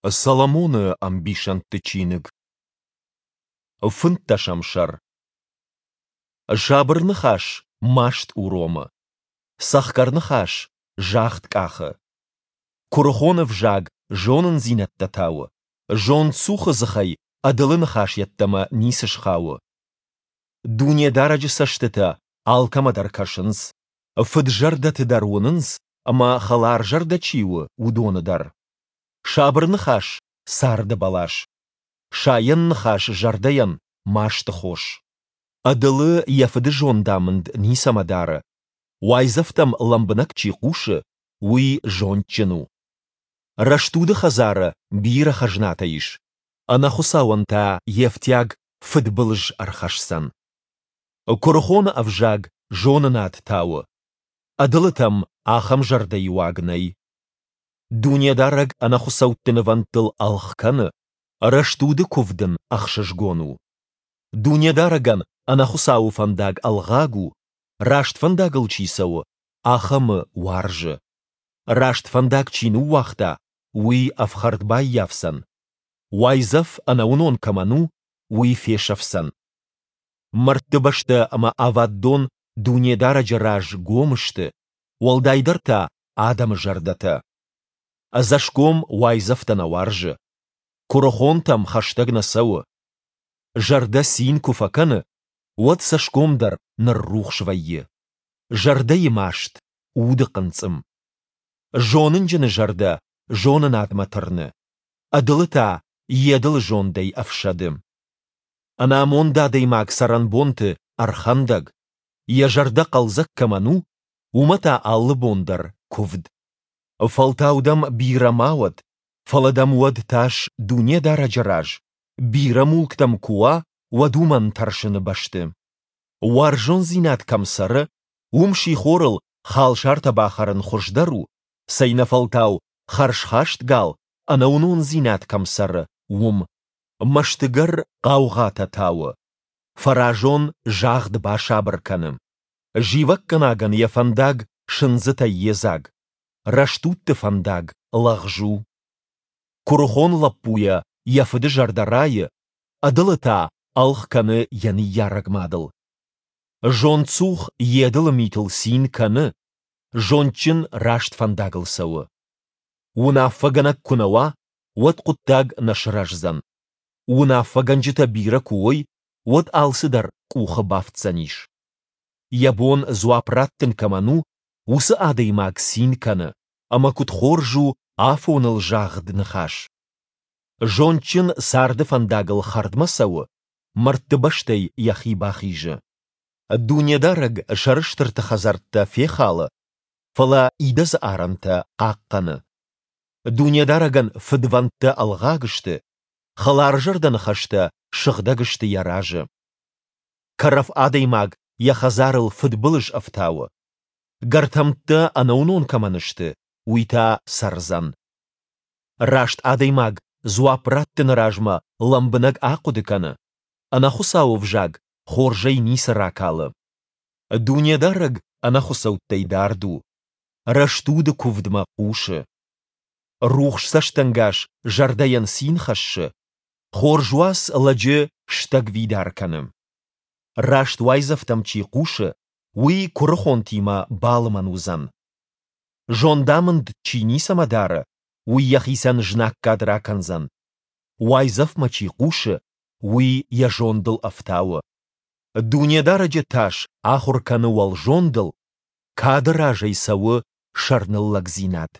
Соломоны ӕмбисӕндты чиныг. Фынддӕсӕм сӕр. Сабыр ныхас маст уромы. Цӕхгӕр ныхас загъд къахы. Куырыхон ӕвзаг зонындзинӕдтӕ тауы, зондцухы дзыхӕй ӕдылы ныхас йеддӕмӕ ницы схауы. Дунедарӕджы цӕстытӕ алкӕмӕ дӕр кӕсынц, фыд-зӕрдӕты дӕр уынынц ӕмӕ хӕларзӕрдӕ чи у, уыдоны дӕр. Сабыр ныхас — царды бӕлас. Сайӕн ныхас зӕрдӕйӕн — масты хос. Ӕдылы йӕ фыды зондамынд ницӕмӕ дары. Уайдзӕфтӕм лӕмбынӕг чи хъусы, уый зондджын у. Рӕстуды хӕдзары бирӕ хӕзнатӕ ис, ӕнӕхуыцауӕн та йе фтиаг фыдбылыз ӕрхӕсдзӕн. Куырыхоны ӕвзаг зонынад тауы, ӕдылытӕм ахӕм зӕрдӕйы уаг нӕй. Дунедарӕг ӕнӕхуыцӕутты нывӕндтыл ӕлгъ кӕны, рӕстуды куывд ын ӕхсызгон у. Дунедарӕгӕн ӕнӕхуыцауы фӕндаг ӕлгъаг у, раст фӕндагыл чи цӕуы, ахӕмы уарзы. Раст фӕндаг чи ныууагъта, уый ӕфхӕрд баййафдзӕн. Уайдзӕф ӕнӕуынон кӕмӕн у, уый фесӕфдзӕн. Мӕрдты бӕстӕ ӕмӕ ӕвӕд дон Дунедарӕджы раз гом сты, уӕлдайдӕр та адӕмы зӕрдӕтӕ. Ӕдзӕсгом уайдзӕфтӕ нӕ уарзы. Куырыхонтӕм хӕстӕг нӕ цӕуы. Зӕрдӕ цин куы фӕкӕны, уӕд цӕсгом дӕр ныррухс вӕййы. Зӕрдӕйы маст, уды хъынцъым. Зонынджыны зӕрдӕ зонынадмӕ тырны, ӕдылы та йе дылы зондӕй ӕфсӕды. Ӕнамонд адӕймаг цӕрӕнбонты ӕрхӕндӕг, йӕ зӕрдӕ хъӕлдзӕг кӕмӕн у, уымӕ та алы бон дӕр куывд. Фӕлтау дӕм бирӕ ма уӕд, фӕлӕ дӕм уӕд тас Дунедарӕджы раз, бирӕ мулк дӕм куы уа, уӕд уымӕн тӕрсыны бӕсты. Уарзондзинад кӕм цӕры, уым сихорыл халсартӕ бахӕрын хуыздӕр у, цӕйнӕфӕлтау хӕрзхаст гал, ӕнӕуынондзинад кӕм цӕры, уым. Мӕстыгӕр хъаугъатӕ тауы, фӕразон загъд басабыр кӕны. Зивӕггӕнагӕн йӕ фӕндаг сындзытӕй йедзаг, рӕстудты фӕндаг лӕгъз у. Куырыхон лӕппуйӕ йӕ фыды зӕрдӕ райы, ӕдылы та ӕлгъ кӕны йӕ ныййарӕг мадыл. Зондцух йе дылы митыл цин кӕны, зондджын раст фӕндагыл цӕуы. Уынаффӕгӕнӕг куы нӕ уа, уӕд хъуыддаг нӕ сырӕздзӕн. Уынаффӕгӕнджытӕ бирӕ куы уой, уӕд алцыдӕр къухы бафтдзӕнис. Йӕ бон дзуапп раттын кӕмӕн у, уыцы адӕймаг цин кӕны, ӕмӕ куыд хорз у афоныл загъд ныхас. Зондджын царды фӕндагыл хӕрдмӕ цӕуы, мӕрдты бӕстӕй йӕхи бахизы. Дунедарӕг сӕрыстырты хӕдзӕрттӕ фехалы, фӕлӕ идӕдзы арӕнтӕ хъахъхъӕны. Дунедарӕгӕн фыдвӕндтӕ ӕлгъаг сты, хӕларзӕрдӕ ныхӕстӕ сыгъдӕг сты йӕ разы. Кӕрӕф адӕймаг йӕ хӕдзарыл фыдбылыз ӕфтауы. Гӕртӕмттӕ ӕнӕуынон кӕмӕн сты, уый та цӕрдзӕн. Раст адӕймаг дзуапп раттыны размӕ лӕмбынӕг ахъуыды кӕны, ӕнӕхуыцауы взаг хорзӕй ницы ракалы. Дунедарӕг ӕнӕхуыцӕуттӕй дард у, рӕстуды куывдмӕ хъусы. Рухс цӕстӕнгас зӕрдӕйӕн цин хӕссы, хорз уац лӕджы стӕгвидар кӕны. Раст уайдзӕфтӕм чи хъусы, уый куырыхонтимӕ балымӕн уыдзӕн. Зондамынд чи ницӕмӕ дары, уый йӕхицӕн знаггад ракӕндзӕн. Уайдзӕфмӕ чи хъусы, уый йӕ зондыл ӕфтауы. Дунедарӕджы тас ахуыр кӕны уӕлзондыл, кады разӕй цӕуы сӕрныллӕгдзинад.